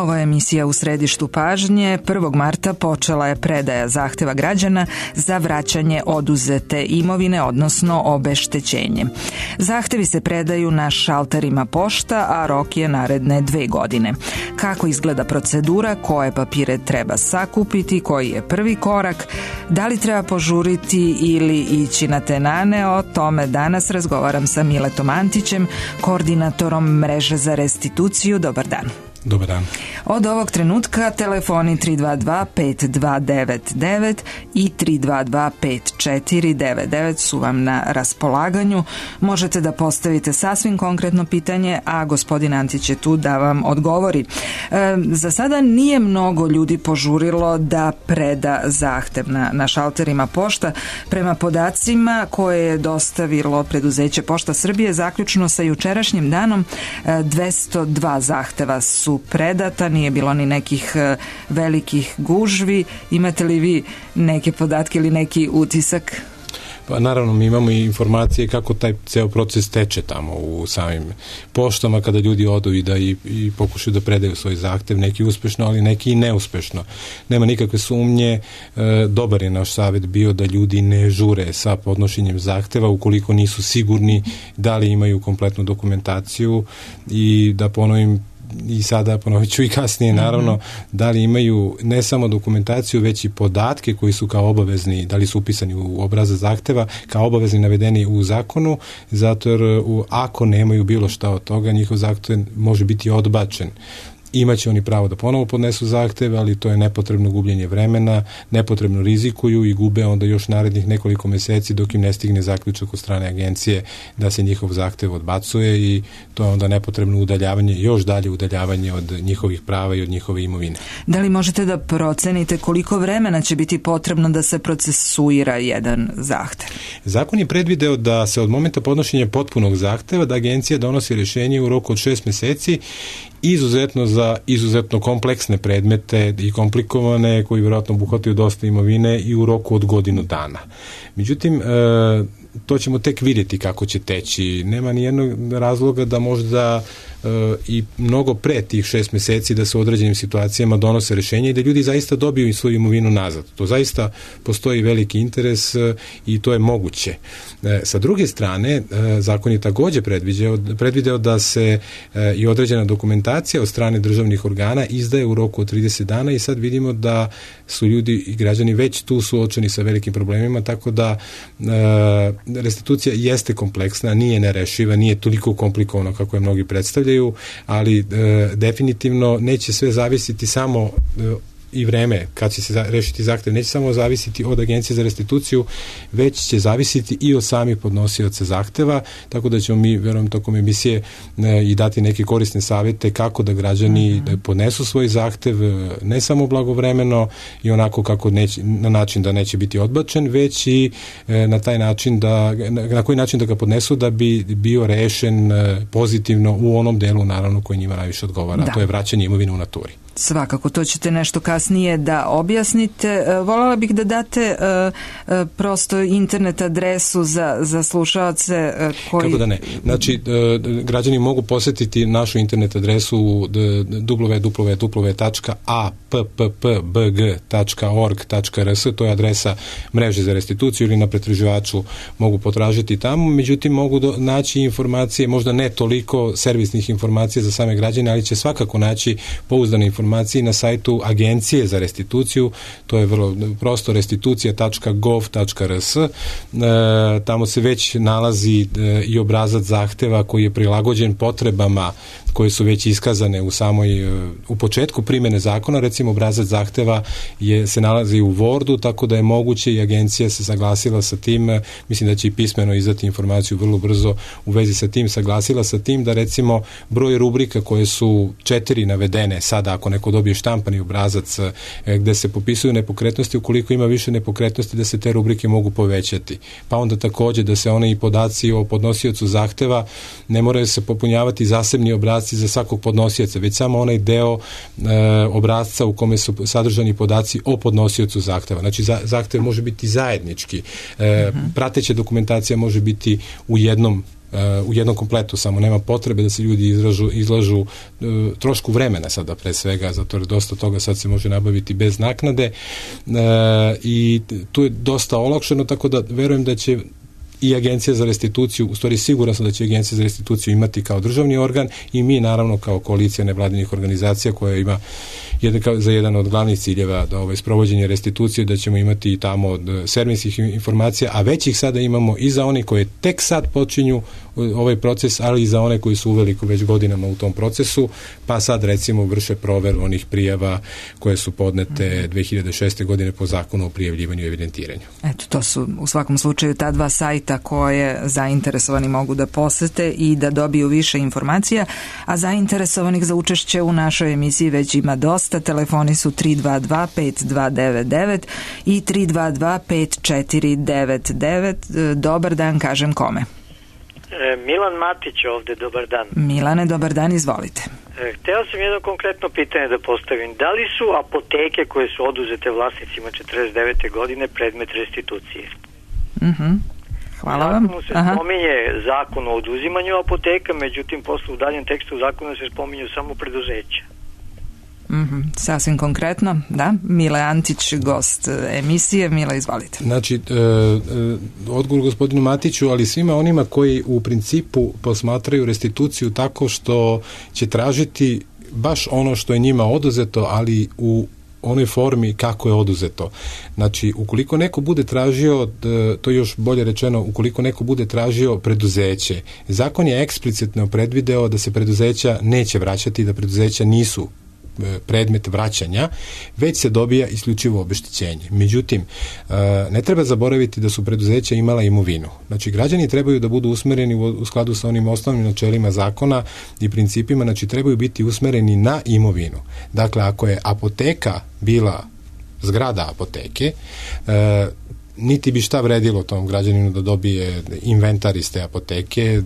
Ovo je emisija U središtu pažnje. 1. marta počela je predaja zahteva građana za vraćanje oduzete imovine, odnosno obeštećenje. Zahtevi se predaju na šalterima pošta, a rok je naredne 2 godine. Kako izgleda procedura, koje papire treba sakupiti, koji je prvi korak, da li treba požuriti ili ići na tenane, o tome danas razgovaram sa Miletom Antićem, koordinatorom mreže za restituciju. Dobar dan. Dobar dan. Od ovog trenutka telefoni 322-5299 i 322-5499 su vam na raspolaganju. Možete da postavite sasvim konkretno pitanje, a gospodin Antić je tu da vam odgovori. Za sada nije mnogo ljudi požurilo da preda zahtev na šalterima pošta. Prema podacima koje je dostavilo preduzeće Pošta Srbije, zaključno sa jučerašnjim danom, 202 zahteva su predata, nije bilo ni nekih velikih gužvi. Imate li vi neke podatke ili neki utisak? Pa naravno, mi imamo i informacije kako taj ceo proces teče tamo u samim poštama kada ljudi odu i pokušaju da predaju svoj zahtev, neki uspešno, ali neki i neuspešno. Nema nikakve sumnje, dobar je naš savjet bio da ljudi ne žure sa podnošenjem zahteva ukoliko nisu sigurni da li imaju kompletnu dokumentaciju i da ponovim i sada ponovit ću i kasnije naravno, da li imaju ne samo dokumentaciju, već i podatke koji su kao obavezni, da li su upisani u obrazac zahteva, kao obavezni navedeni u zakonu, zato jer ako nemaju bilo šta od toga, njihov zahtev može biti odbačen. Imaće oni pravo da ponovo podnesu zahteve, ali to je nepotrebno gubljenje vremena, nepotrebno rizikuju i gube onda još narednih nekoliko meseci dok im ne stigne zaključak od strane agencije da se njihov zahtev odbacuje i to je onda nepotrebno udaljavanje, još dalje udaljavanje od njihovih prava i od njihove imovine. Da li možete da procenite koliko vremena će biti potrebno da se procesuira jedan zahtev? Zakon je predvideo da se od momenta podnošenja potpunog zahteva da agencija donosi rješenje u roku od 6 meseci, izuzetno za izuzetno kompleksne predmete i komplikovane koji vjerojatno obuhvataju dosta imovine i u roku od godinu dana. Međutim, to ćemo tek vidjeti kako će teći. Nema ni jednog razloga da možda i mnogo pre tih 6 meseci da se u određenim situacijama donose rješenja i da ljudi zaista dobiju i svoju imovinu nazad. To zaista postoji veliki interes i to je moguće. Sa druge strane, zakon je također predvideo da se i određena dokumentacija od strane državnih organa izdaje u roku od 30 dana i sad vidimo da su ljudi i građani već tu suočeni sa velikim problemima, tako da restitucija jeste kompleksna, nije nerešiva, nije toliko komplikovana kako je mnogi predstavljaju, ali definitivno neće sve zavisiti samo i vreme kad će se rešiti zahtev, neće samo zavisiti od agencije za restituciju, već će zavisiti i od samih podnosioca zahteva, tako da ćemo mi, verujem, tokom emisije i dati neke korisne savjete kako da građani podnesu svoj zahtev, ne samo blagovremeno i onako kako neće, na način da neće biti odbačen, već i na taj način na koji način da ga podnesu da bi bio rešen pozitivno u onom delu, naravno, koji njima najviše odgovara, to je vraćanje imovine u naturi. Svakako, to ćete nešto kasnije da objasnite. Voljela bih da date prosto internet adresu za slušaoce koji... Kako da ne? Znači, građani mogu posjetiti našu internet adresu www.apppbg.org.rs, to je adresa mreže za restituciju, ili na pretraživaču mogu potražiti tamo, međutim mogu naći informacije, možda ne toliko servisnih informacija za same građane, ali će svakako naći pouzdane informacije na sajtu Agencije za restituciju, to je vrlo prosto, restitucija.gov.rs. Tamo se već nalazi i obrazac zahteva koji je prilagođen potrebama koje su već iskazane u početku primjene zakona. Recimo, obrazac zahteva se nalazi u Wordu, tako da je moguće i agencija se saglasila sa tim, mislim da će i pismeno izdati informaciju vrlo brzo u vezi sa tim, saglasila sa tim da recimo broj rubrika koje su 4 navedene sada, ako neko dobije štampani obrazac gde se popisuju nepokretnosti, ukoliko ima više nepokretnosti da se te rubrike mogu povećati. Pa onda također da se one i podaci o podnosiocu zahteva ne moraju se popunjavati zasebni obrazac za svakog podnosioca, već samo onaj deo obrasca u kome su sadržani podaci o podnosiocu zahteva. Znači, zahtev može biti zajednički. Prateća dokumentacija može biti u jednom u jednom kompletu, samo nema potrebe da se ljudi izlažu trošku vremena sada pre svega, zato jer dosta toga sad se može nabaviti bez naknade i tu je dosta olakšeno, tako da verujem da će i Agencija za restituciju, u stvari siguran sam da će Agencija za restituciju imati kao državni organ i mi naravno kao koalicija nevladinih organizacija koja ima za jedan od glavnih ciljeva da sprovođenje restitucije, da ćemo imati tamo od servisnih informacija, a već ih sada imamo i za one koje tek sad počinju ovaj proces, ali i za one koji su uveliko već godinama u tom procesu, pa sad recimo vrše proveru onih prijava koje su podnete 2006. godine po zakonu o prijavljivanju i evidentiranju. Eto, to su u svakom slučaju ta dva sajta koje zainteresovani mogu da posete i da dobiju više informacija, a zainteresovanih za učešće u našoj emisiji već ima dosta. Telefoni su 322-5299 i 322-5499. Dobar dan, kažem kome? Milan Matić ovde, dobar dan. Milane, dobar dan, izvolite. Hteo sam jedno konkretno pitanje da postavim. Da li su apoteke koje su oduzete vlasnicima 49. godine predmet restitucije? Hvala vam. Zakonu se spominje zakon o oduzimanju apoteka, međutim posle u daljem tekstu zakona se spominju samo preduzeća. Sasvim konkretno, da. Mile Antić, gost emisije. Mile, izvolite. Znači, odgovor gospodinu Matiću, ali svima onima koji u principu posmatraju restituciju tako što će tražiti baš ono što je njima oduzeto, ali u onoj formi kako je oduzeto. Znači, ukoliko neko bude tražio, to je još bolje rečeno, ukoliko neko bude tražio preduzeće, zakon je eksplicitno predvideo da se preduzeća neće vraćati, da preduzeća nisu predmet vraćanja, već se dobija isključivo obeštećenje. Međutim, ne treba zaboraviti da su preduzeća imala imovinu. Znači, građani trebaju da budu usmereni u skladu sa onim osnovnim načelima zakona i principima, znači trebaju biti usmereni na imovinu. Dakle, ako je apoteka bila zgrada apoteke, niti bi šta vredilo tom građaninu da dobije inventar iz te apoteke,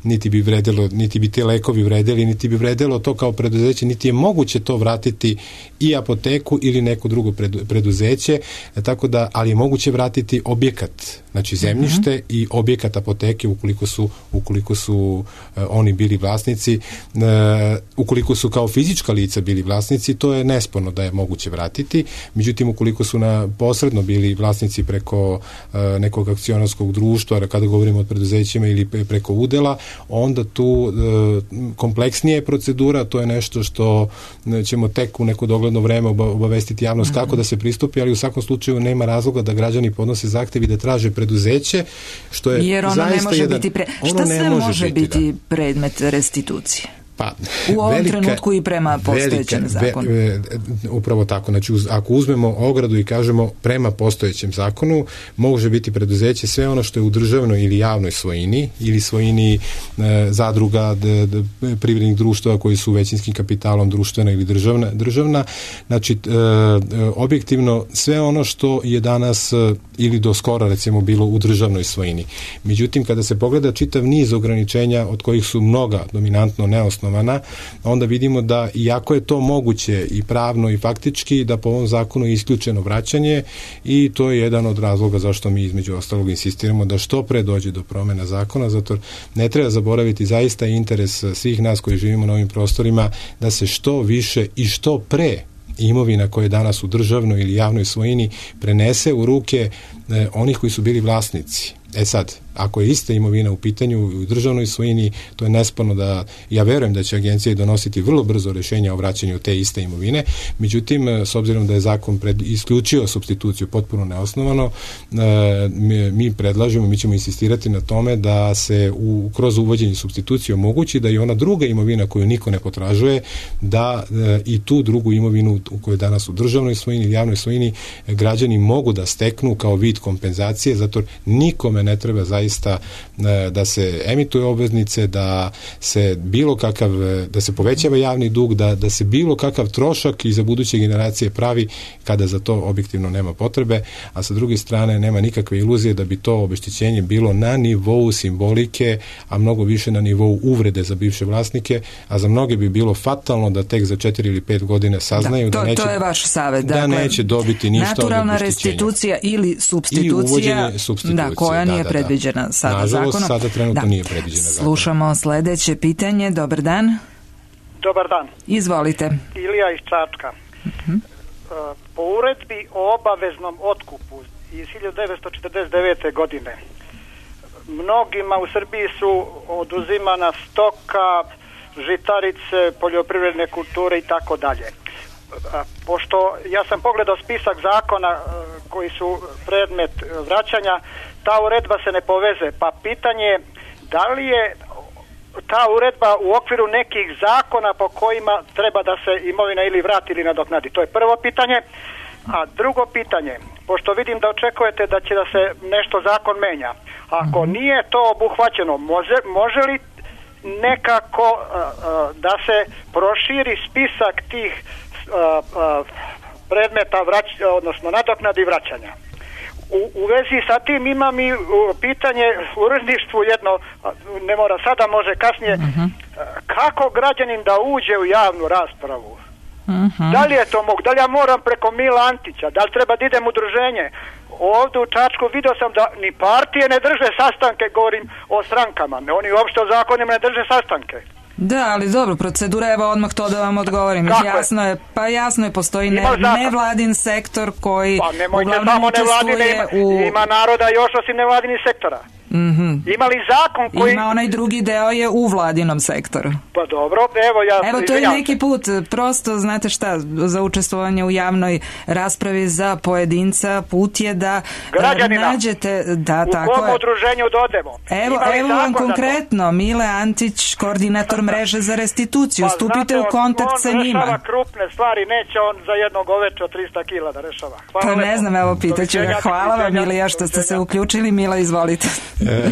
niti bi te lekovi vredili, niti bi vredilo to kao preduzeće, niti je moguće to vratiti i apoteku ili neko drugo preduzeće, tako da, ali je moguće vratiti objekat, znači zemljište i objekat apoteke ukoliko su oni bili vlasnici, ukoliko su kao fizička lica bili vlasnici, to je nesporno da je moguće vratiti. Međutim, ukoliko su posredno bili vlasnici preko nekog akcionarskog društva, kada govorimo o preduzećima ili preko udela, onda tu kompleksnija je procedura, to je nešto što ćemo tek u neko dogledno vreme obavestiti javnost kako da se pristupi, ali u svakom slučaju nema razloga da građani podnose zahtev i da traže preduzeće, što je jer ono zaista ne može biti šta sve može biti predmet restitucije? U ovom trenutku i prema postojećem zakonu. Upravo tako. Znači, ako uzmemo ogradu i kažemo prema postojećem zakonu, može biti preduzeće sve ono što je u državnoj ili javnoj svojini ili svojini zadruga, privrednih društava koji su većinskim kapitalom društvena ili državna. Znači, objektivno sve ono što je danas ili do skora recimo bilo u državnoj svojini. Međutim, kada se pogleda čitav niz ograničenja od kojih su mnoga dominantno neosnovana, onda vidimo da iako je to moguće i pravno i faktički, da po ovom zakonu je isključeno vraćanje i to je jedan od razloga zašto mi između ostalog insistiramo da što pre dođe do promena zakona, zato ne treba zaboraviti zaista interes svih nas koji živimo na ovim prostorima da se što više i što pre imovina koja je danas u državnoj ili javnoj svojini prenese u ruke onih koji su bili vlasnici. Sad, ako je ista imovina u pitanju u državnoj svojini, to je nesporno da, ja verujem da će agencija donositi vrlo brzo rješenja o vraćanju te iste imovine, međutim, s obzirom da je zakon isključio supstituciju potpuno neosnovano, mi predlažemo, mi ćemo insistirati na tome da se kroz uvođenje supstitucije omogući da i ona druga imovina koju niko ne potražuje, da i tu drugu imovinu koju je danas u državnoj svojini ili javnoj svojini građani mogu da steknu kao vid kompenzacije, zato nikome ne treba zaista da se emituju obveznice, da se bilo kakav, da se povećava javni dug, da se bilo kakav trošak i za buduće generacije pravi kada za to objektivno nema potrebe, a sa druge strane nema nikakve iluzije da bi to obeštećenje bilo na nivou simbolike, a mnogo više na nivou uvrede za bivše vlasnike, a za mnoge bi bilo fatalno da tek za 4 ili 5 godina saznaju to je vaš savjet, da neće dobiti ništa od obeštećenja. Naturalna restitucija ili supstitucija, koja nije predviđena predviđena sada nažalost, zakonom. Sada trenutno nije predviđena zakonom. Slušamo sledeće pitanje. Dobar dan. Dobar dan. Izvolite. Ilija iz Čačka. Po uredbi o obaveznom otkupu iz 1949. godine mnogima u Srbiji su oduzimana stoka, žitarice, poljoprivredne kulture i tako dalje. Pošto ja sam pogledao spisak zakona koji su predmet vraćanja, ta uredba se ne poveze, pa pitanje je da li je ta uredba u okviru nekih zakona po kojima treba da se imovina ili vrati ili nadoknadi. To je prvo pitanje. A drugo pitanje, pošto vidim da očekujete da će da se nešto zakon menja, ako nije to obuhvaćeno, može li nekako da se proširi spisak tih predmeta odnosno nadoknadi vraćanja? U vezi sa tim imam i pitanje u uredništvu jedno, ne mora sada, može kasnije, kako građanin da uđe u javnu raspravu? Da li je to moguće? Da li ja moram preko Mila Antića? Da li treba da idem u udruženje? Ovdje u Čačku vidio sam da ni partije ne drže sastanke, govorim o strankama. Oni uopšte o zakonima ne drže sastanke. Da, ali dobro, procedura, evo odmah to da vam odgovorim. Jasno je, postoji nevladin sektor koji uglavnom učestvuje u... Ima naroda još osim nevladinih sektora. Ima li zakon koji... Ima onaj drugi deo je u vladinom sektoru. Pa dobro, evo to je neki put, prosto, znate šta, za učestvovanje u javnoj raspravi za pojedinca, put je da nađete... Da, u kom udruženju dodemo. Evo vam konkretno, Mile Antić, koordinator mreže za restituciju, stupite u kontakt sa njima. On rešava krupne stvari, neće on za jednog oveća 300 kila da rešava. Pa ne znam, evo pitaću ga. Hvala vam, Ilija, što ste se uključili. Mila, izvolite.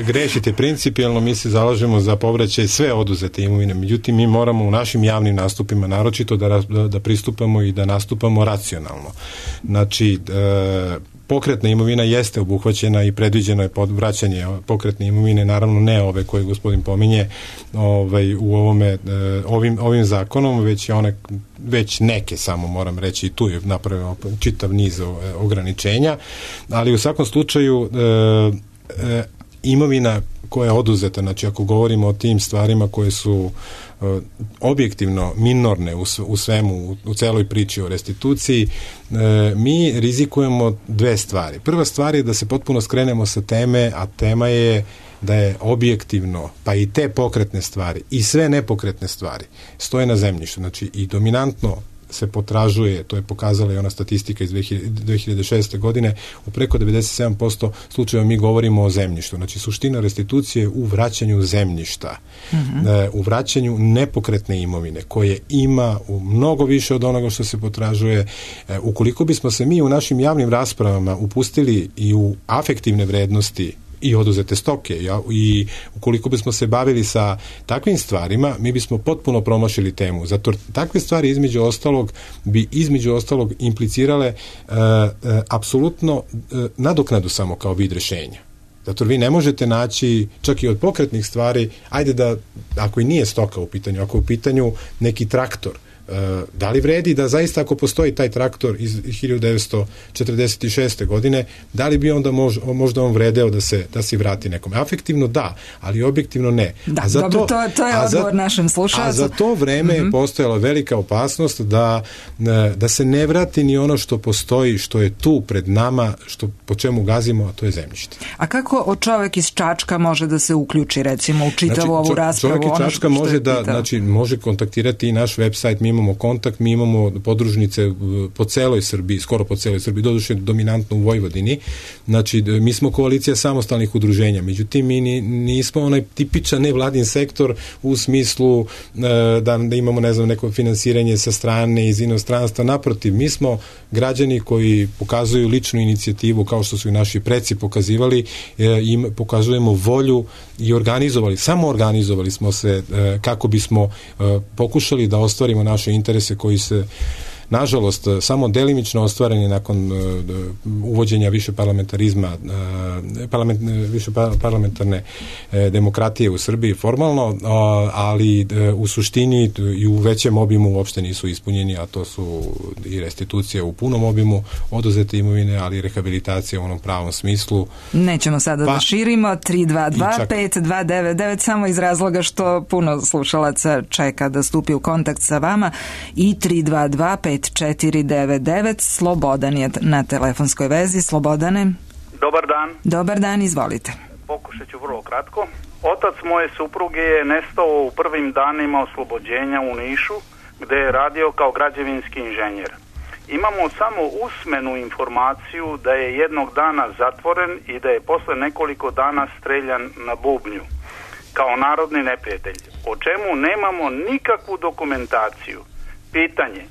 Grešite principijelno, mi se zalažemo za povraćaj sve oduzete imovine, međutim mi moramo u našim javnim nastupima naročito da pristupamo i da nastupamo racionalno. Znači, pokretna imovina jeste obuhvaćena i predviđeno je vraćanje pokretne imovine, naravno ne ove koje gospodin pominje u ovim zakonom, već neke samo moram reći, i tu je napravljeno čitav niz ograničenja, ali u svakom slučaju imovina koja je oduzeta, znači ako govorimo o tim stvarima koje su objektivno minorne u svemu, u celoj priči o restituciji, mi rizikujemo dve stvari. Prva stvar je da se potpuno skrenemo sa teme, a tema je da je objektivno, pa i te pokretne stvari i sve nepokretne stvari stoje na zemljištu, znači i dominantno se potražuje, to je pokazala i ona statistika iz 2006. godine, u preko 97% slučajeva mi govorimo o zemljištu. Znači, suština restitucije u vraćanju zemljišta, u vraćanju nepokretne imovine, koje ima mnogo više od onoga što se potražuje. Ukoliko bismo se mi u našim javnim raspravama upustili i u afektivne vrednosti i oduzete stoke, i ukoliko bismo se bavili sa takvim stvarima, mi bismo potpuno promašili temu. Zato takve stvari između ostalog implicirale apsolutno nadoknadu samo kao vid rešenja. Zato vi ne možete naći čak i od pokretnih stvari, ajde da, ako i nije stoka u pitanju, ako je u pitanju neki traktor, da li vredi da zaista ako postoji taj traktor iz 1946. godine, da li bi onda možda on vredeo da se vrati nekome? Afektivno da, ali objektivno ne. Da, dobro, to je odgovor našem slušalcu. A za to vreme je postojala velika opasnost da se ne vrati ni ono što postoji, što je tu pred nama, po čemu gazimo, a to je zemljište. A kako čovjek iz Čačka može da se uključi, recimo, u čitavu ovu raspravu? Čovjek iz Čačka može kontaktirati i naš website, mi imamo kontakt, mi imamo podružnice po celoj Srbiji, skoro po celoj Srbiji, doduše dominantno u Vojvodini. Znači, mi smo koalicija samostalnih udruženja, međutim, mi nismo onaj tipičan nevladin sektor u smislu da imamo, ne znam, neko finansiranje sa strane, iz inostranstva. Naprotiv, mi smo građani koji pokazuju ličnu inicijativu, kao što su i naši preci pokazivali, i pokazujemo volju i samo organizovali smo se kako bismo pokušali da ostvarimo naše interese koji se nažalost samo delimično ostvareni nakon uvođenja više parlamentarizma, više parlamentarne demokratije u Srbiji formalno, ali u suštini i u većem obimu uopšte nisu ispunjeni, a to su i restitucije u punom obimu oduzete imovine, ali i rehabilitacija u onom pravom smislu. Nećemo sada da širimo. 322-5299 samo iz razloga što puno slušalaca čeka da stupi u kontakt sa vama i 322-5499. Slobodan je na telefonskoj vezi. Slobodane. Dobar dan. Dobar dan, izvolite. Pokušat ću vrlo kratko. Otac moje supruge je nestao u prvim danima oslobođenja u Nišu, gde je radio kao građevinski inženjer. Imamo samo usmenu informaciju da je jednog dana zatvoren i da je posle nekoliko dana streljan na bubnju kao narodni neprijatelj, o čemu nemamo nikakvu dokumentaciju. Pitanje: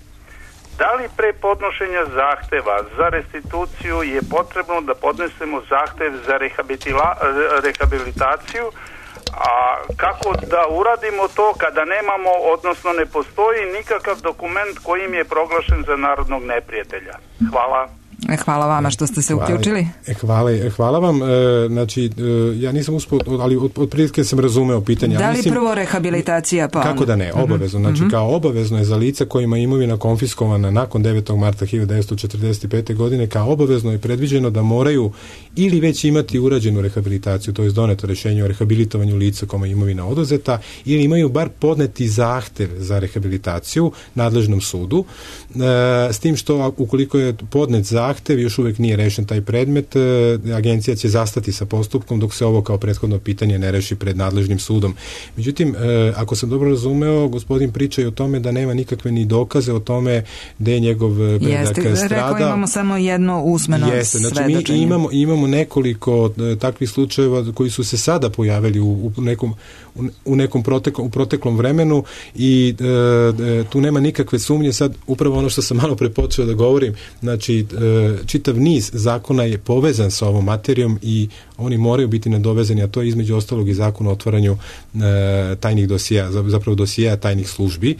da li pre podnošenja zahteva za restituciju je potrebno da podnesemo zahtev za rehabilitaciju, a kako da uradimo to kada nemamo, odnosno ne postoji nikakav dokument kojim je proglašen za narodnog neprijatelja? Hvala. Hvala vama što ste se uključili. Hvala vam. Znači, ja nisam uspio, ali otprilike sam razumeo pitanje. Da li prvo rehabilitacija pa onda? Kako da ne, obavezno. Znači, kao obavezno je za lica kojima je imovina konfiskovana nakon 9. marta 1945. godine, kao obavezno je predviđeno da moraju ili već imati urađenu rehabilitaciju, to je doneto rešenje o rehabilitovanju lica kome je imovina oduzeta, ili imaju bar podneti zahtev za rehabilitaciju nadležnom sudu, s tim što ukoliko je podnet zahtev, još uvek nije rešen taj predmet, agencija će zastati sa postupkom dok se ovo kao prethodno pitanje ne reši pred nadležnim sudom. Međutim, ako sam dobro razumeo, gospodin priča i o tome da nema nikakve ni dokaze o tome da je njegov predak strada. Rekao, imamo samo jedno usmeno svedočenje. Znači, mi imamo nekoliko takvih slučajeva koji su se sada pojavili u nekom proteklom vremenu i tu nema nikakve sumnje. Sad, upravo ono što sam malo pre počeo da govorim, znači, čitav niz zakona je povezan sa ovom materijom i oni moraju biti nadovezani, a to je između ostalog i zakon o otvaranju tajnih dosija, zapravo dosija tajnih službi.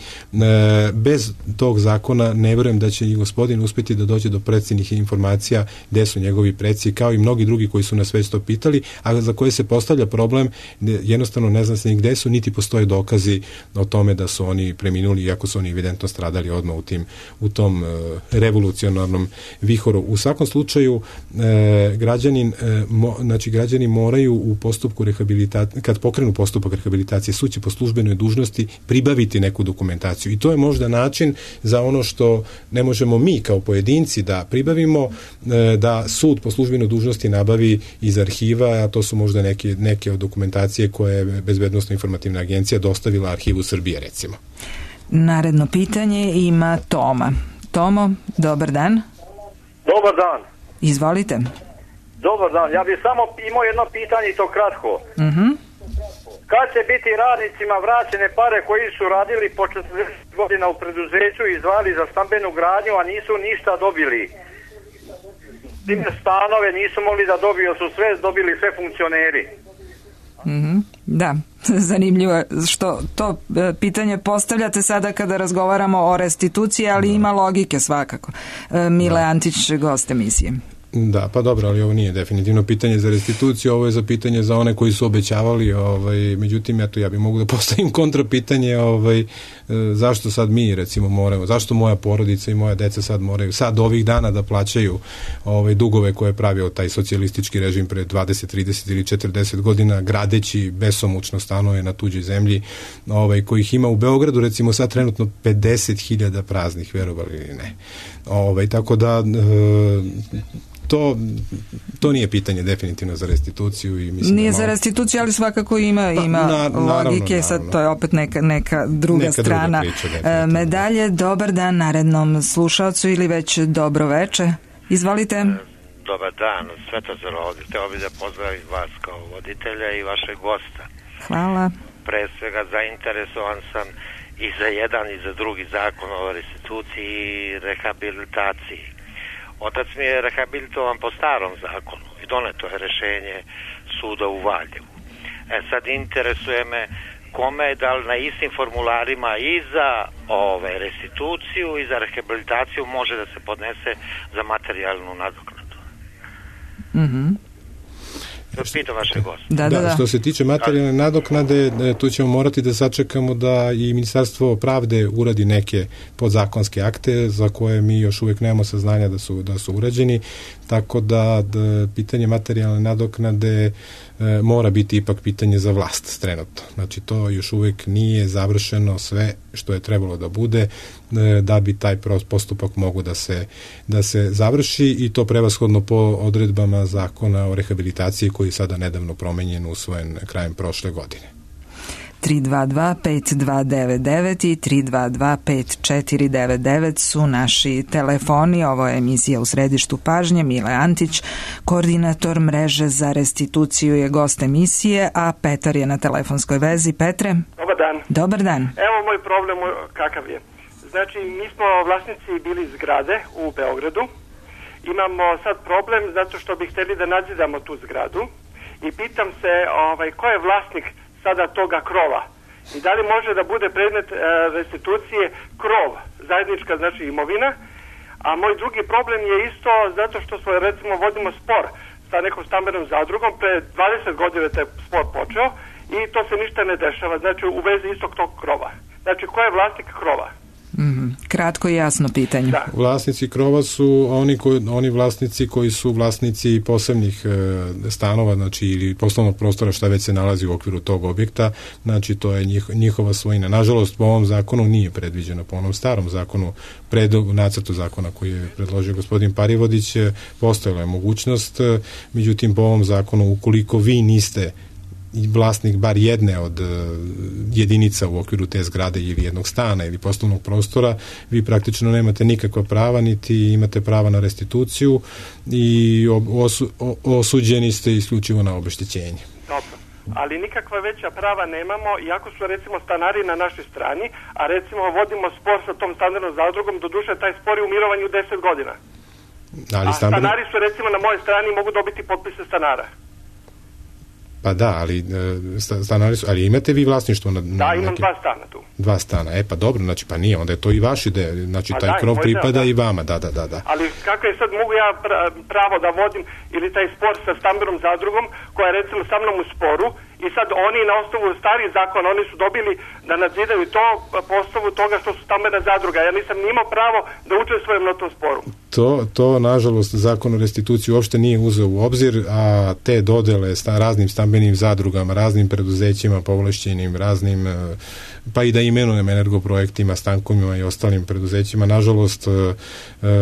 Bez tog zakona ne verujem da će i gospodin uspjeti da dođe do preciznih informacija gde su njegovi preci, kao i mnogi drugi koji su nas već to pitali, a za koje se postavlja problem, jednostavno ne zna se ni gde su, niti postoje dokazi o tome da su oni preminuli, iako su oni evidentno stradali odmah u tom revolucionarnom vihoru. U svakom slučaju, građani moraju u postupku rehabilitacije, kad pokrenu postupak rehabilitacije, sud će po službenoj dužnosti pribaviti neku dokumentaciju. I to je možda način za ono što ne možemo mi kao pojedinci da pribavimo, da sud po službenoj dužnosti nabavi iz arhiva, a to su možda neke od dokumentacije koje je Bezbednosno-informativna agencija dostavila Arhivu Srbije, recimo. Naredno pitanje ima Toma. Tomo, dobar dan. Dobar dan. Izvolite. Dobar dan. Ja bih samo imao jedno pitanje i to kratko. Kad će biti radnicima vraćene pare koji su radili po 40 godina u preduzeću i izdvajali za stambenu gradnju, a nisu ništa dobili? Time stanove nisu mogli da dobiju, su sve dobili sve funkcioneri. Da, zanimljivo što to pitanje postavljate sada kada razgovaramo o restituciji, ali ima logike svakako. Mile Antić, gost emisije. Da, pa dobro, ali ovo nije definitivno pitanje za restituciju, ovo je za pitanje za one koji su obećavali, međutim, ja bih mogu da postavim kontrapitanje, zašto sad mi, recimo, moramo, zašto moja porodica i moja deca sad moraju, sad ovih dana da plaćaju dugove koje je pravio taj socijalistički režim pre 20, 30 ili 40 godina, gradeći besomučno stanove na tuđoj zemlji, kojih ima u Beogradu, recimo, sad trenutno 50.000 praznih, verovali ili ne. Tako da to nije pitanje definitivno za restituciju i mislim nije za restituciju, ali svakako ima logike, sad to je opet neka druga strana medalje. Dobar dan narednom slušalcu ili već dobro veče. Izvolite. Dobar dan, Svetozar ovdje. Hteo bih da pozdravim vas kao voditelja i vašeg gosta. Hvala. Pre svega zainteresovan sam i za jedan i za drugi zakon o restituciji i rehabilitaciji. Otac mi je rehabilitovan po starom zakonu i doneto je rešenje suda u Valjevu. Sad interesuje me kome, da li na istim formularima i za restituciju i za rehabilitaciju može da se podnese za materijalnu nadoknadu. Pitam vaše goste. Da. Što se tiče materijalne nadoknade, tu ćemo morati da sačekamo da i Ministarstvo pravde uradi neke podzakonske akte za koje mi još uvijek nemamo saznanja da su urađeni, tako da pitanje materijalne nadoknade mora biti ipak pitanje za vlast trenutno. Znači to još uvijek nije završeno sve što je trebalo da bude da bi taj postupak mogu da se završi i to prevashodno po odredbama zakona o rehabilitaciji koji je sada nedavno promenjen, usvojen krajem prošle godine. 322-5299 i 322-5499 su naši telefoni. Ovo je emisija U središtu pažnje. Mile Antić, koordinator mreže za restituciju, je gost emisije, a Petar je na telefonskoj vezi. Petre? Dobar dan. Dobar dan. Evo moj problem kakav je. Znači, mi smo vlasnici bili zgrade u Beogradu. Imamo sad problem zato što bi hteli da nadzidamo tu zgradu i pitam se ko je vlasnik sada toga krova i da li može da bude predmet restitucije krov, zajednička znači imovina, a moj drugi problem je isto zato što smo recimo vodimo spor sa nekom stambenom zadrugom, pre 20 godina je taj spor počeo i to se ništa ne dešava, znači u vezi istog tog krova. Znači ko je vlasnik krova? Kratko i jasno pitanje. Da. Vlasnici krova su oni vlasnici koji su vlasnici posebnih stanova, znači ili poslovnog prostora šta već se nalazi u okviru tog objekta, znači to je njihova svojina. Nažalost, po ovom zakonu nije predviđeno, po onom starom zakonu, u nacrtu zakona koji je predložio gospodin Parivodić, postojala je mogućnost, međutim po ovom zakonu, ukoliko vi niste vlasnik bar jedne od jedinica u okviru te zgrade ili jednog stana ili poslovnog prostora, vi praktično nemate nikakva prava, niti imate prava na restituciju i osuđeni ste isključivo na obeštećenje. Dobro, ali nikakva veća prava nemamo, iako su recimo stanari na našoj strani, a recimo vodimo spor sa tom stambenom zadrugom, doduše taj spor je u mirovanju 10 godina. A stanari su recimo na mojoj strani, mogu dobiti potpise stanara. Pa da, ali stanari su, ali imate vi vlasništvo na da, imam dva stana tu. Dva stana, pa dobro, znači pa nije, onda je to i vaš ideja, znači taj krov pripada i vama, da. Ali kako je sad, mogu ja pravo da vodim ili taj spor sa stambenom zadrugom koja je recimo sa mnom u sporu i sad oni na osnovu starih zakona, oni su dobili da nadzidaju to po osnovu toga što su stambena zadruga. Ja nisam imao pravo da učestvujem na tom sporu. To nažalost, zakon o restituciji uopšte nije uzeo u obzir, a te dodele raznim stambenim zadrugama, raznim preduzećima povlašćenim, raznim, pa i da imenujem energoprojektima, stankovima i ostalim preduzećima, nažalost,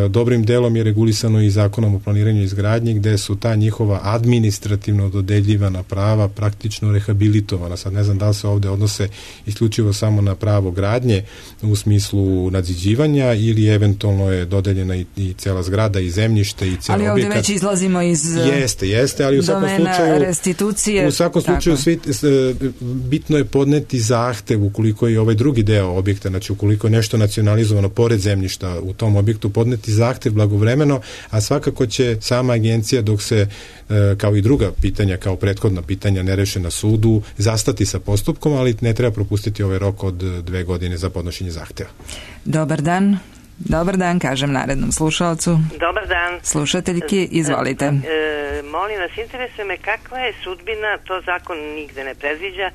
dobrim delom je regulisano i zakonom o planiranju i izgradnji, gde su ta njihova administrativno dodeljivana prava praktično rehabilitovana. Sad ne znam da li se ovde odnose isključivo samo na pravo gradnje u smislu nadziđivanja ili eventualno je dodeljena i cela zgrada i zemljište i cela objekat. Ali ovde već izlazimo iz jeste, ali u svakom slučaju restitucije. U svakom slučaju bitno je podneti zahtev ukoliko je ovaj drugi deo objekta, znači ukoliko je nešto nacionalizovano pored zemljišta u tom objektu, podneti zahtev blagovremeno, a svakako će sama agencija dok se kao i druga pitanja, kao prethodna pitanja ne reše na sudu, zastati sa postupkom, ali ne treba propustiti ovaj rok od 2 godine za podnošenje zahteva. Dobar dan, kažem narednom slušalcu. Dobar dan. Slušateljki, izvolite. Molim vas, interesuje me kakva je sudbina, to zakon nigde ne predviđa,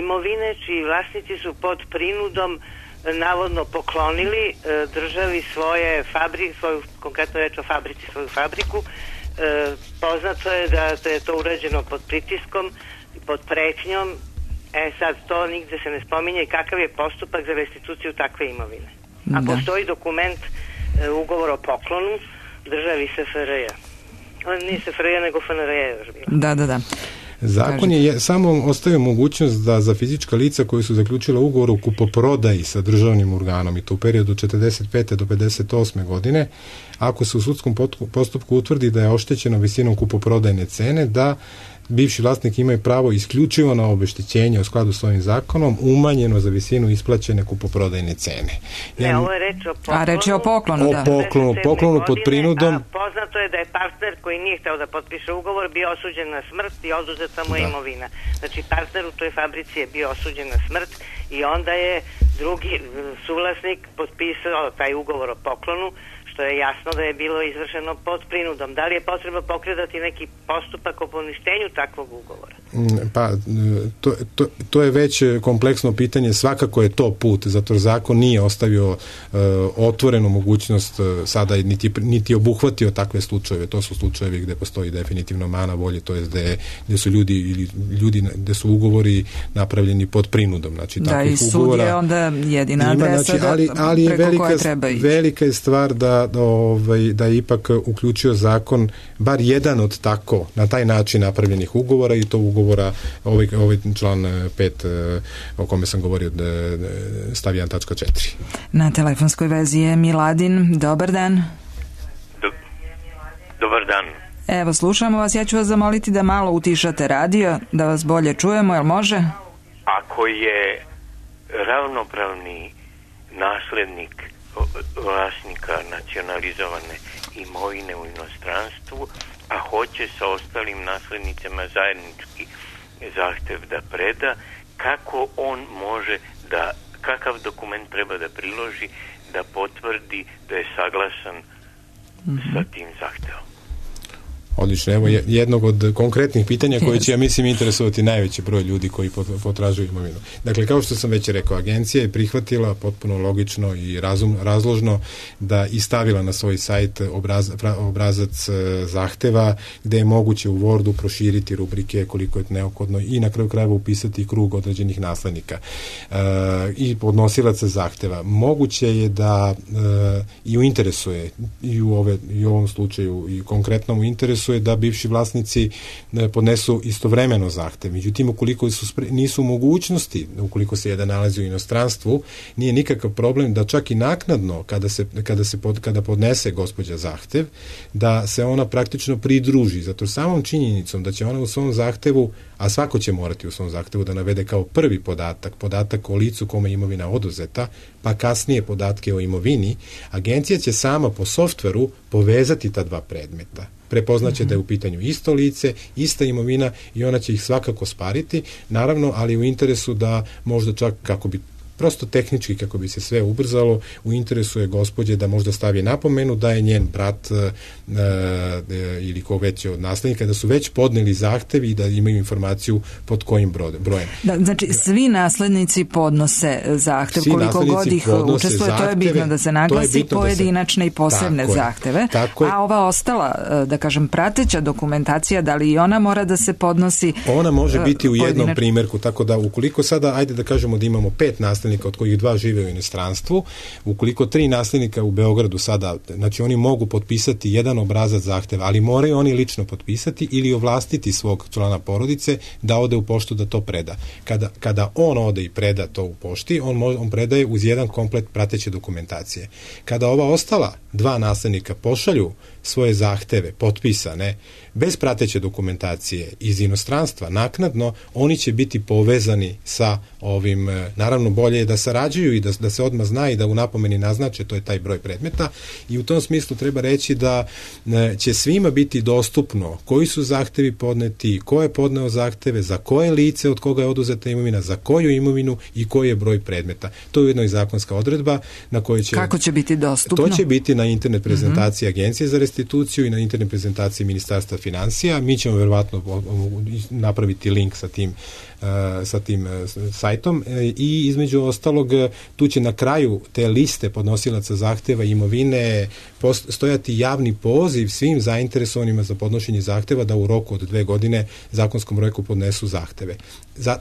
imovine čiji vlasnici su pod prinudom navodno poklonili državi svoje fabrike, konkretno reč o fabrici, svoju fabriku. Poznato je da je to urađeno pod pritiskom, pod pretnjom. Sad to nigde se ne spominje i kakav je postupak za restituciju takve imovine. A postoji dokument, ugovor o poklonu državi SFRJ. Nije SFRJ nego FNRJ još bilo. Da. Zakon je samo ostavio mogućnost da za fizička lica koji su zaključila ugovor o kupoprodaji sa državnim organom i to u periodu 45. do 58. godine, ako se u sudskom postupku utvrdi da je oštećeno visinom kupoprodajne cene, da bivši vlasnik imaju pravo isključivo na obeštećenje u skladu s ovim zakonom, umanjeno za visinu isplaćene kupoprodajne cene. Ne, ovo je reč o poklonu. A reč je o poklonu, da. Poklonu pod prinudom. Poznato je da je partner koji nije hteo da potpiše ugovor bio osuđen na smrt i oduzeta mu je imovina. Znači, partner u toj fabrici je bio osuđen na smrt i onda je drugi suvlasnik potpisao taj ugovor o poklonu, što je jasno da je bilo izvršeno pod prinudom. Da li je potrebno pokretati neki postupak o poništenju takvog ugovora? Pa, to je već kompleksno pitanje, svakako je to put, zato zakon nije ostavio otvorenu mogućnost sada, niti obuhvatio takve slučajeve. To su slučajevi gde postoji definitivno mana volje, to je gde su ljudi gde su ugovori napravljeni pod prinudom. Znači, da, i sud je onda jedina adresa, znači, ali preko koje treba ići. Velika je stvar da je ipak uključio zakon bar jedan od tako, na taj način napravljenih ugovora, i to ugovora, ovaj član 5 o kome sam govorio, stav 1.4. Na telefonskoj vezi je Miladin. Dobar dan. Dobar dan. Evo, slušamo vas. Ja ću vas zamoliti da malo utišate radio, da vas bolje čujemo, jel može? Ako je ravnopravni naslednik vlasnika nacionalizovane imovine u inostranstvu, a hoće sa ostalim naslednicima zajednički zahtev da preda, kako on može da, kakav dokument treba da priloži da potvrdi da je saglasan sa tim zahtevom? Odlično, evo jednog od konkretnih pitanja koje će, ja mislim, interesovati najveći broj ljudi koji potražuju imovinu. Dakle, kao što sam već rekao, agencija je prihvatila potpuno logično i razložno da i stavila na svoj sajt obrazac zahteva, gde je moguće u Wordu proširiti rubrike koliko je neophodno i na kraju krajeva upisati krug određenih naslednika i podnosilaca zahteva. Moguće je da i u interesu je, i u ovom slučaju i konkretnom u interesu je da bivši vlasnici podnesu istovremeno zahtev. Međutim, ukoliko nisu mogućnosti, ukoliko se jedan nalazi u inostranstvu, nije nikakav problem da čak i naknadno kada podnese gospođa zahtev, da se ona praktično pridruži. Zato samom činjenicom da će ona u svom zahtevu, a svako će morati u svom zahtevu da navede kao prvi podatak o licu kome je imovina oduzeta, pa kasnije podatke o imovini, agencija će sama po softveru povezati ta dva predmeta. Prepoznaće da je u pitanju isto lice, ista imovina i ona će ih svakako spariti, naravno, ali u interesu da možda čak kako bi prosto tehnički, kako bi se sve ubrzalo, u interesu je gospođe da možda stavi napomenu da je njen brat ili ko već od naslednika, da su već podneli zahtev i da imaju informaciju pod kojim brojem. Da, znači, svi naslednici podnose zahtev, koliko god ih učestvuje, to je bitno da se naglasi, pojedinačne i posebne zahteve. A ova ostala, da kažem, prateća dokumentacija, da li i ona mora da se podnosi? Ona može biti u jednom primjerku, tako da ukoliko sada, ajde da kažemo da imamo 5 naslednika, od kojih 2 žive u inostranstvu, ukoliko 3 naslednika u Beogradu sada, znači oni mogu potpisati jedan obrazac zahteva, ali moraju oni lično potpisati ili ovlastiti svog člana porodice da ode u poštu da to preda. Kada on ode i preda to u pošti, on predaje uz jedan komplet prateće dokumentacije. Kada ova ostala 2 naslednika pošalju svoje zahteve potpisane bez prateće dokumentacije iz inostranstva naknadno, oni će biti povezani sa ovim, naravno bolje je da sarađuju i da se odmah zna i da u napomeni naznače, to je taj broj predmeta, i u tom smislu treba reći da će svima biti dostupno koji su zahtevi podneti, ko je podneo zahteve, za koje lice od koga je oduzeta imovina, za koju imovinu i koji je broj predmeta. To je ujedno i zakonska odredba na kojoj će... Kako će biti dostupno? To će biti na internet prezentaciji Agencije za restituciju i na internet prezentaciji Ministarstva finansija. Mi ćemo verovatno napraviti link sa tim sajtom i između ostalog tu će na kraju te liste podnosilaca zahteva i imovine stojati javni poziv svim zainteresovanima za podnošenje zahteva da u roku od 2 godine zakonskom roku podnesu zahteve.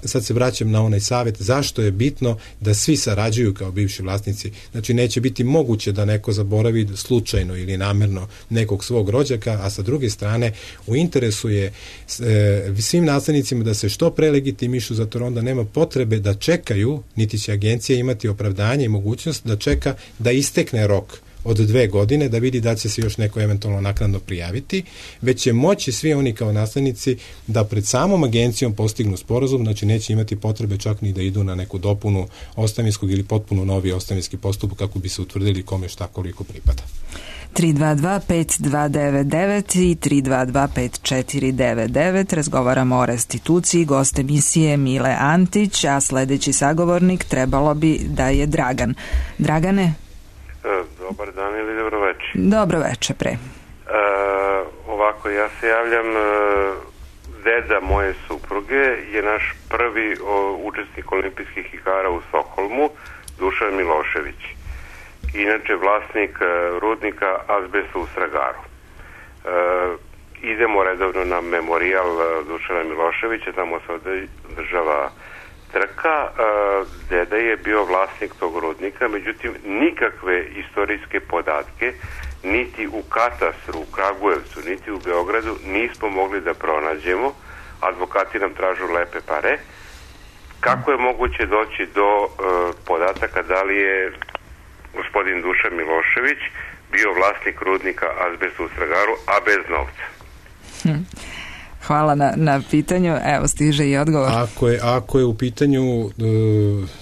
Sad se vraćam na onaj savjet zašto je bitno da svi sarađuju kao bivši vlasnici. Znači neće biti moguće da neko zaboravi slučajno ili namerno nekog svog rođaka, a sa druge strane u interesu je svim naslednicima da se što pre legitimišu, zato onda nema potrebe da čekaju, niti će agencija imati opravdanje i mogućnost da čeka da istekne rok od 2 godine da vidi da će se još neko eventualno naknadno prijaviti, već će moći svi oni kao naslednici da pred samom agencijom postignu sporazum, znači neće imati potrebe čak ni da idu na neku dopunu ostavinskog ili potpuno novi ostavinski postupak kako bi se utvrdili kome šta koliko pripada. 322-5299 i 322-5499. Razgovaramo o restituciji. Gost emisije Mile Antić, a sledeći sagovornik trebalo bi da je Dragan. Dragane? Dobar dan ili dobro večer? Dobro večer, pre. Ovako, ja se javljam, deda moje supruge je naš prvi učesnik olimpijskih igara u Stokholmu, Dušan Milošević. Inače vlasnik rudnika azbesta u Stragaru. Idemo redovno na memorijal Dušana Miloševića, tamo se održava trka. Deda je bio vlasnik tog rudnika, međutim nikakve istorijske podatke niti u katastru u Kragujevcu, niti u Beogradu nismo mogli da pronađemo. Advokati nam tražu lepe pare. Kako je moguće doći do podataka da li je gospodin Dušan Milošević bio vlasnik rudnika azbesta u Stragaru, a bez novca? Hvala na pitanju. Evo, stiže i odgovor. Ako je u pitanju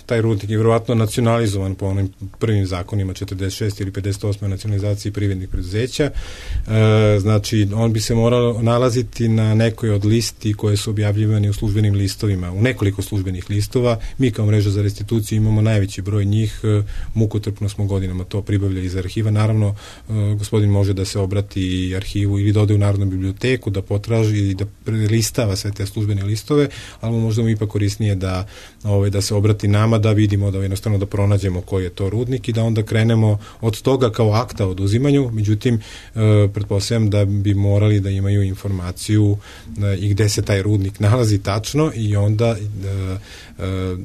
taj rudnik je vjerovatno nacionalizovan po onim prvim zakonima 46 ili 58 nacionalizaciji privrednih preduzeća, znači on bi se morao nalaziti na nekoj od listi koje su objavljivani u službenim listovima, u nekoliko službenih listova. Mi kao mreža za restituciju imamo najveći broj njih, mukotrpno smo godinama to pribavljali iz arhiva. Naravno, gospodin može da se obrati arhivu ili da ode u Narodnu biblioteku, da potraži i da listava sve te službene listove, ali možda mu ipak korisnije da se obrati nama, da vidimo, da jednostavno da pronađemo koji je to rudnik i da onda krenemo od toga kao akta o oduzimanju. Međutim, pretpostavljam da bi morali da imaju informaciju i gde se taj rudnik nalazi tačno i onda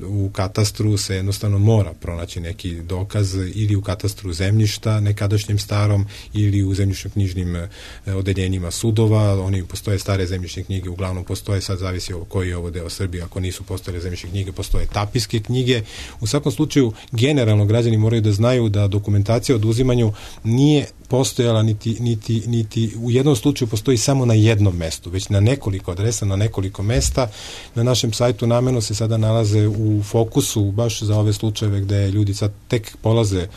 u katastru se jednostavno mora pronaći neki dokaz ili u katastru zemljišta nekadašnjem starom ili u zemljišno-knjižnim odeljenjima sudova. Oni postoje stare zemljišne knjige, uglavnom postoje, sad zavisi koji je ovo deo Srbije, ako nisu postojale zemljišne knjige, postoje tapiske knjige. U svakom slučaju, generalno građani moraju da znaju da dokumentacija o oduzimanju nije postojala niti u jednom slučaju postoji samo na jednom mestu, već na nekoliko adresa, na nekoliko mesta. Na našem sajtu namerno se sada nalaze u fokusu baš za ove slučajeve gde ljudi sad tek polaze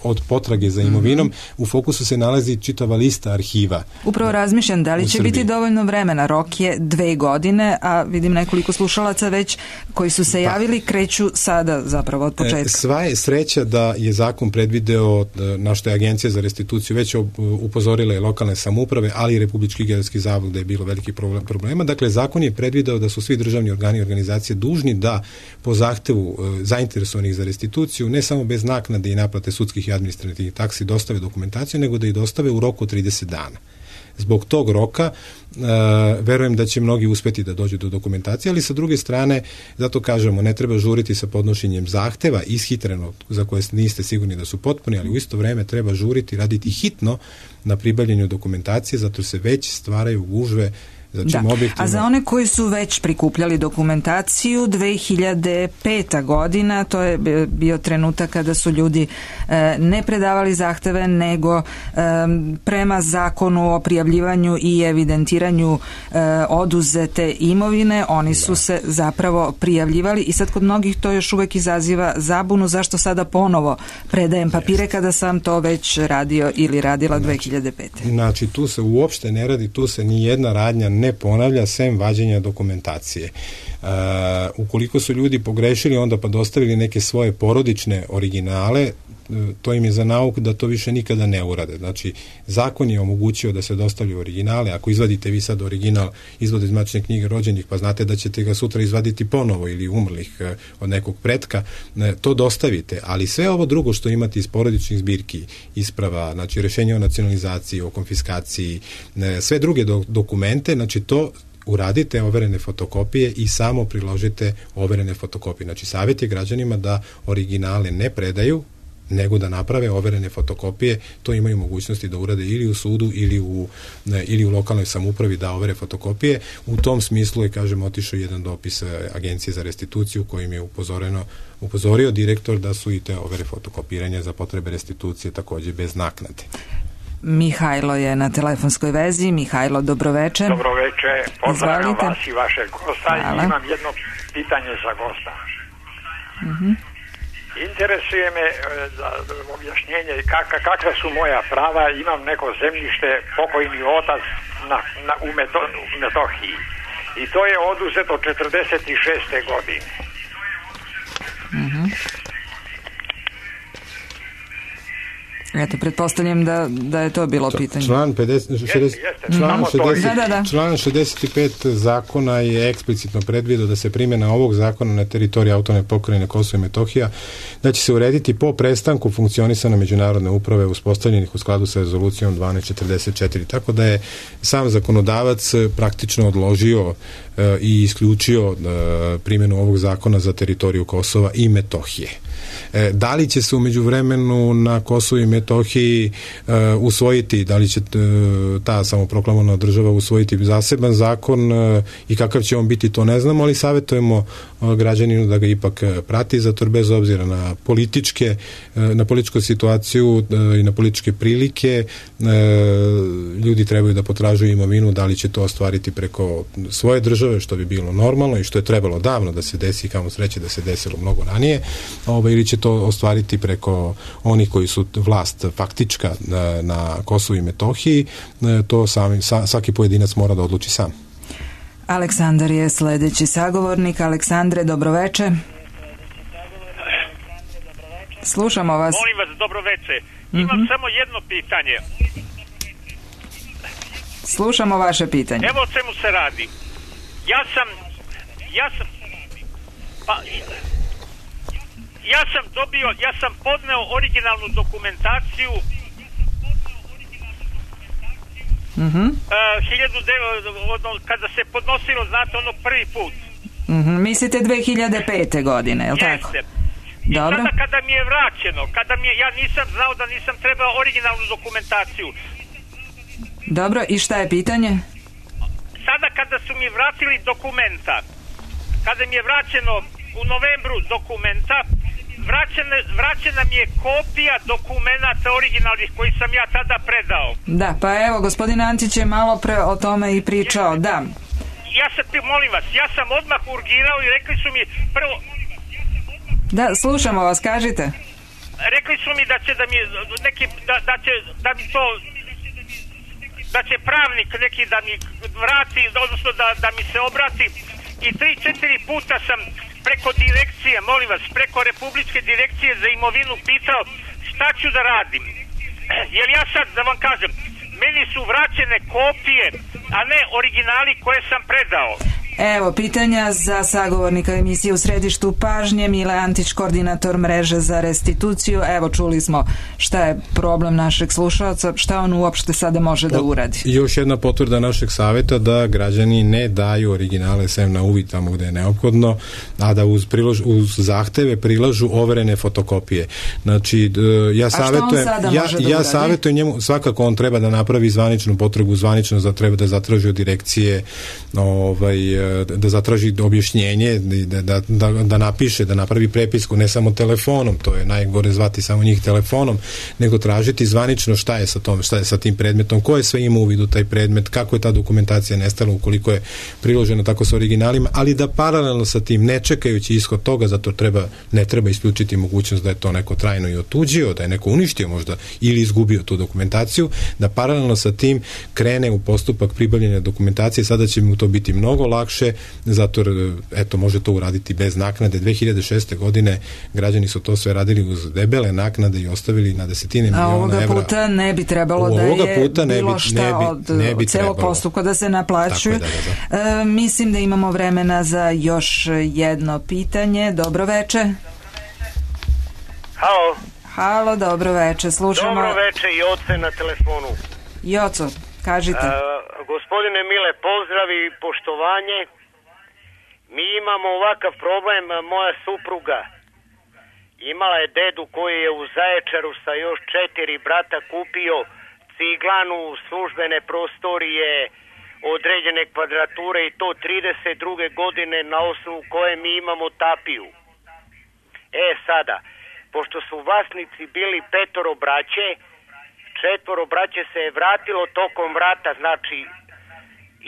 od potrage za imovinom. U fokusu se nalazi čitava lista arhiva. Upravo razmišljam da li će biti dovoljno vremena. Rok je 2 godine, a vidim nekoliko slušalaca već koji su se javili, kreću sada zapravo od početka. Sva je sreća da je zakon predvideo, na što je Agencija za restituciju već upozorila i lokalne samouprave, ali i Republički geodetski zavod gde je bilo veliki problema. Dakle, zakon je predvideo da su svi državni organi i organizacije dužni da po zahtevu zainteresovanih za restituciju ne samo bez naknade i naplate sudskih i administrativnih taksi dostave dokumentaciju, nego da i dostave u roku 30 dana. Zbog tog roka verujem da će mnogi uspeti da dođu do dokumentacije, ali sa druge strane, zato kažemo, ne treba žuriti sa podnošenjem zahteva ishitreno za koje niste sigurni da su potpuni, ali u isto vreme treba žuriti, raditi hitno na pribavljanju dokumentacije, zato se već stvaraju gužve. A za one koji su već prikupljali dokumentaciju, 2005. godina, to je bio trenutak kada su ljudi ne predavali zahteve, nego prema zakonu o prijavljivanju i evidentiranju oduzete imovine, oni su se zapravo prijavljivali i sad kod mnogih to još uvek izaziva zabunu zašto sada ponovo predajem papire kada sam to već radio ili radila 2005. Znači, tu se uopšte ne radi, tu se ni jedna radnja ne ponavlja sem vađenja dokumentacije. Ukoliko su ljudi pogrešili onda pa dostavili neke svoje porodične originale, to im je za nauk da to više nikada ne urade. Znači, zakon je omogućio da se dostavljaju originale. Ako izvadite vi sad original izvod iz matične knjige rođenih, pa znate da ćete ga sutra izvaditi ponovo ili umrlih od nekog pretka, to dostavite. Ali sve ovo drugo što imate iz porodičnih zbirki, isprava, znači rešenje o nacionalizaciji, o konfiskaciji, sve druge dokumente, znači to uradite overene fotokopije i samo priložite overene fotokopije. Znači, savjet je građanima da originale ne predaju, nego da naprave overene fotokopije, to imaju mogućnosti da urade ili u sudu ili u lokalnoj samoupravi da overe fotokopije. U tom smislu je, kažem, otišao jedan dopis Agencije za restituciju kojim je upozorio direktor da su i te overe fotokopiranja za potrebe restitucije takođe bez naknade. Mihajlo je na telefonskoj vezi. Mihajlo, dobroveče. Dobroveče, pozdravljam vas i vašeg gosta. Hvala. Imam jedno pitanje za gosta. Interesuje me za objašnjenje kakva su moja prava. Imam neko zemljište, pokojni otac u Metohiji i to je oduzeto 46. godine. Eto, pretpostavljam da je to bilo pitanje. Član 65 zakona je eksplicitno predvidio da se primjena ovog zakona na teritoriji autonomne pokrajine Kosovo i Metohija, da će se urediti po prestanku funkcionisanja međunarodne uprave uspostavljenih u skladu sa rezolucijom 1244. Tako da je sam zakonodavac praktično odložio i isključio primjenu ovog zakona za teritoriju Kosova i Metohije. Da li će se u međuvremenu na Kosovu i Metohiji usvojiti, da li će ta samoproklamovana država usvojiti zaseban zakon i kakav će on biti, to ne znamo, ali savjetujemo građaninu da ga ipak prati, zato bez obzira na političku situaciju i na političke prilike ljudi trebaju da potražuju imovinu, da li će to ostvariti preko svoje države, što bi bilo normalno i što je trebalo davno da se desi i kamo sreće da se desilo mnogo ranije, ili će to ostvariti preko onih koji su vlast faktička na Kosovu i Metohiji, to svaki pojedinac mora da odluči sam. Aleksandar je sledeći sagovornik. Aleksandre, dobroveče. Slušamo vas. Molim vas, dobroveče. Imam samo jedno pitanje. Slušamo vaše pitanje. Evo o čemu se radi. Ja sam podneo originalnu dokumentaciju kada se podnosilo, znate, ono prvi put. Mislite 2005. godine, je li tako? I sada kada mi je vraćeno, ja nisam znao da nisam trebao originalnu dokumentaciju. Dobro, i šta je pitanje? Sada kada su mi vratili dokumenta, kada mi je vraćeno u novembru dokumenta, vraćena mi je kopija dokumenata originalnih koji sam ja tada predao. Da, pa evo, gospodin Antić je malo pre o tome i pričao, da. Molim vas, ja sam odmah urgirao i rekli su mi prvo... Da, slušamo vas, kažite. Rekli su mi da će da će pravnik neki da mi vrati, odnosno da mi se obrati, i 3-4 puta sam preko direkcije, molim vas, preko Republičke direkcije za imovinu pitao šta ću da radim. Jer ja sad, da vam kažem, meni su vraćene kopije, a ne originali koje sam predao. Evo, pitanja za sagovornika emisije U središtu pažnje, Mile Antić, koordinator mreže za restituciju. Evo, čuli smo šta je problem našeg slušalca, šta on uopšte sada može da uradi. Još jedna potvrda našeg savjeta da građani ne daju originale sem na uvid tamo gde je neophodno, a da uz zahteve prilažu overene fotokopije. Znači, ja savjetujem njemu, svakako on treba da napravi zvaničnu potragu, zvanično treba da zatraži od direkcije da zatraži objašnjenje, da napiše, da napravi prepisku, ne samo telefonom, to je najgore zvati samo njih telefonom, nego tražiti zvanično šta je sa tim predmetom, ko je sve ima uvid u taj predmet, kako je ta dokumentacija nestala ukoliko je priložena tako sa originalima, ali da paralelno sa tim, ne čekajući ishod toga, zato ne treba isključiti mogućnost da je to neko trajno i otuđio, da je neko uništio možda ili izgubio tu dokumentaciju, da paralelno sa tim krene u postupak pribavljanja dokumentacije. Sada će mu to biti mnogo lakše, zato eto, može to uraditi bez naknade. 2006. godine građani su to sve radili uz debele naknade i ostavili na desetine miliona evra. A ovoga puta ne bi trebalo da je bilo šta od celog postupka da se naplaćuje. Mislim da imamo vremena za još jedno pitanje. Dobro veče. Halo, dobro veče. Slušamo. Dobro veče, Joce na telefonu. Joco, kažite. Gospodine Mile, pozdrav i poštovanje. Mi imamo ovakav problem, moja supruga imala je dedu koji je u Zaječaru sa još 4 brata kupio ciglanu, službene prostorije, određene kvadrature i to 32. godine na osnovu koje mi imamo tapiju. Sada, pošto su vlasnici bili 5 braće, 4 braće se je vratilo tokom rata, znači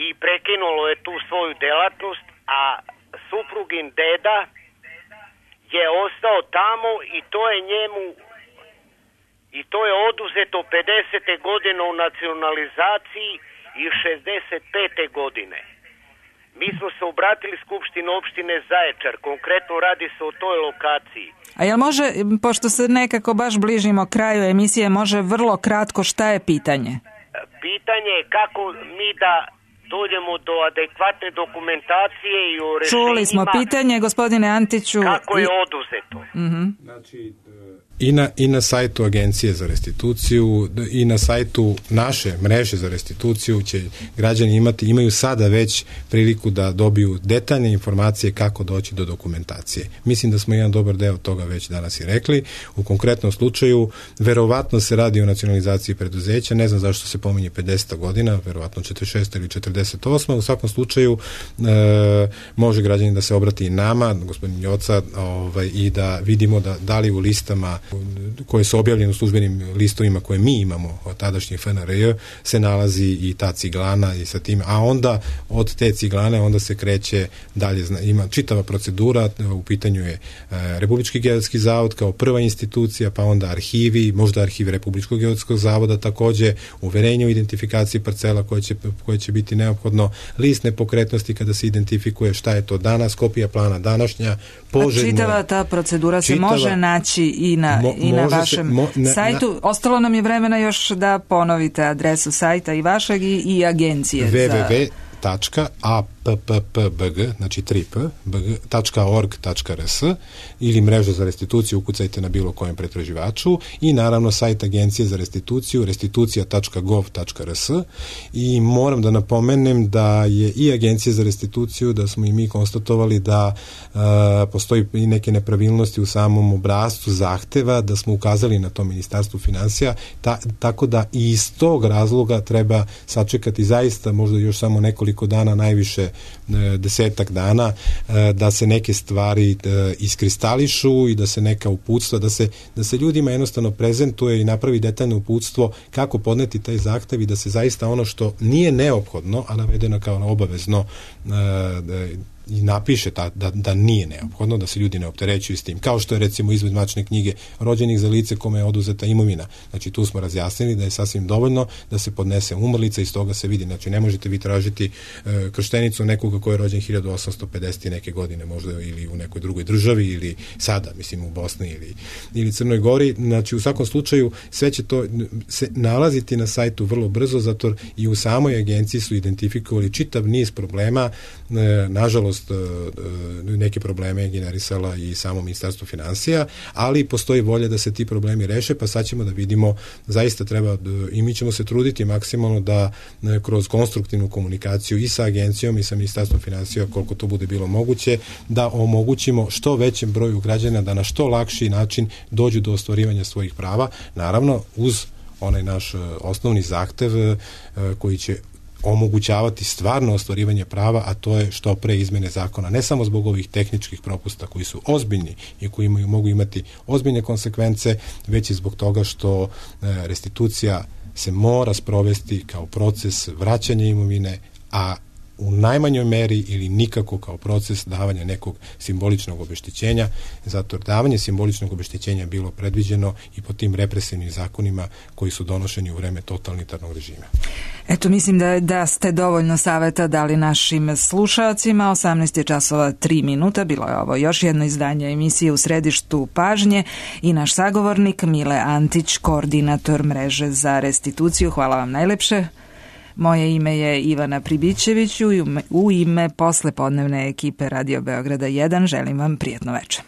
i prekinulo je tu svoju delatnost, a suprugin deda je ostao tamo i to je oduzeto 50. godine u nacionalizaciji i 65. godine. Mi smo se obratili Skupštini opštine Zaječar, konkretno radi se o toj lokaciji. A jel može, pošto se nekako baš bližimo kraju emisije, može vrlo kratko šta je pitanje? Pitanje je kako mi da dođemo do adekvatne dokumentacije i o rešenjima. Čuli smo pitanje, gospodine Antiću. Kako je oduzeto? Znači, i na sajtu Agencije za restituciju i na sajtu naše mreže za restituciju će građani imaju sada već priliku da dobiju detaljne informacije kako doći do dokumentacije. Mislim da smo jedan dobar deo toga već danas i rekli. U konkretnom slučaju verovatno se radi o nacionalizaciji preduzeća, ne znam zašto se pominje 50. godina, verovatno 46. ili 48. U svakom slučaju može građanin da se obrati i nama, gospodin Joca, i da vidimo da li u listama koje su objavljene u službenim listovima koje mi imamo od tadašnjih FNRJ se nalazi i ta ciglana i sa tim, a onda od te ciglane onda se kreće dalje, ima čitava procedura, u pitanju je Republički geodetski zavod kao prva institucija, pa onda arhivi, možda arhiv Republičkog geodetskog zavoda, takođe uverenje o identifikaciji parcela koje će biti neophodno, list nepokretnosti kada se identifikuje šta je to danas, kopija plana današnja, poželjno. Čitava ta procedura se može naći i na vašem sajtu. Ostalo nam je vremena još da ponovite adresu sajta i vašeg i agencije. www.appbg, znači 3p.org.rs ili mreža za restituciju, ukucajte na bilo kojem pretraživaču i naravno sajt Agencije za restituciju, restitucija.gov.rs i moram da napomenem da je i Agencija za restituciju, da smo i mi konstatovali da postoji i neke nepravilnosti u samom obrascu zahteva, da smo ukazali na to Ministarstvu finansija, tako da i iz tog razloga treba sačekati zaista možda još samo nekoliko dana, najviše 10 dana, da se neke stvari iskristališu i da se neka uputstva, da se ljudima jednostavno prezentuje i napravi detaljno uputstvo kako podneti taj zahtev i da se zaista ono što nije neophodno, a navedeno kao obavezno, i napiše da nije neophodno, da se ljudi ne opterećuju s tim. Kao što je recimo izvod matične knjige rođenih za lice kome je oduzeta imovina. Znači tu smo razjasnili da je sasvim dovoljno da se podnese umrlica i iz toga se vidi. Znači ne možete vi tražiti krštenicu nekoga ko je rođen 1850 neke godine možda ili u nekoj drugoj državi ili sada, mislim u Bosni ili Crnoj Gori. Znači u svakom slučaju sve će to se nalaziti na sajtu vrlo brzo, zato i u samoj agenciji su identifikovali čitav niz problema. Nažalost neke probleme je generisala i samo Ministarstvo finansija, ali postoji volja da se ti problemi reše, pa sad ćemo da vidimo, zaista treba i mi ćemo se truditi maksimalno da kroz konstruktivnu komunikaciju i sa agencijom i sa Ministarstvom finansija, koliko to bude bilo moguće, da omogućimo što većem broju građana da na što lakši način dođu do ostvarivanja svojih prava, naravno uz onaj naš osnovni zahtev koji će omogućavati stvarno ostvarivanje prava, a to je što pre izmene zakona, ne samo zbog ovih tehničkih propusta koji su ozbiljni i koji mogu imati ozbiljne konsekvence, već i zbog toga što restitucija se mora sprovesti kao proces vraćanja imovine, a u najmanjoj meri ili nikako kao proces davanja nekog simboličnog obeštećenja, zato davanje simboličnog obeštećenja je bilo predviđeno i po tim represivnim zakonima koji su donošeni u vreme totalitarnog režima. Eto, mislim da ste dovoljno saveta dali našim slušalcima. 18:03. Bilo je ovo još jedno izdanje emisije U središtu pažnje i naš sagovornik Mile Antić, koordinator mreže za restituciju. Hvala vam najlepše. Moje ime je Ivana Pribićević i u ime poslepodnevne ekipe Radio Beograda 1 želim vam prijatno večer.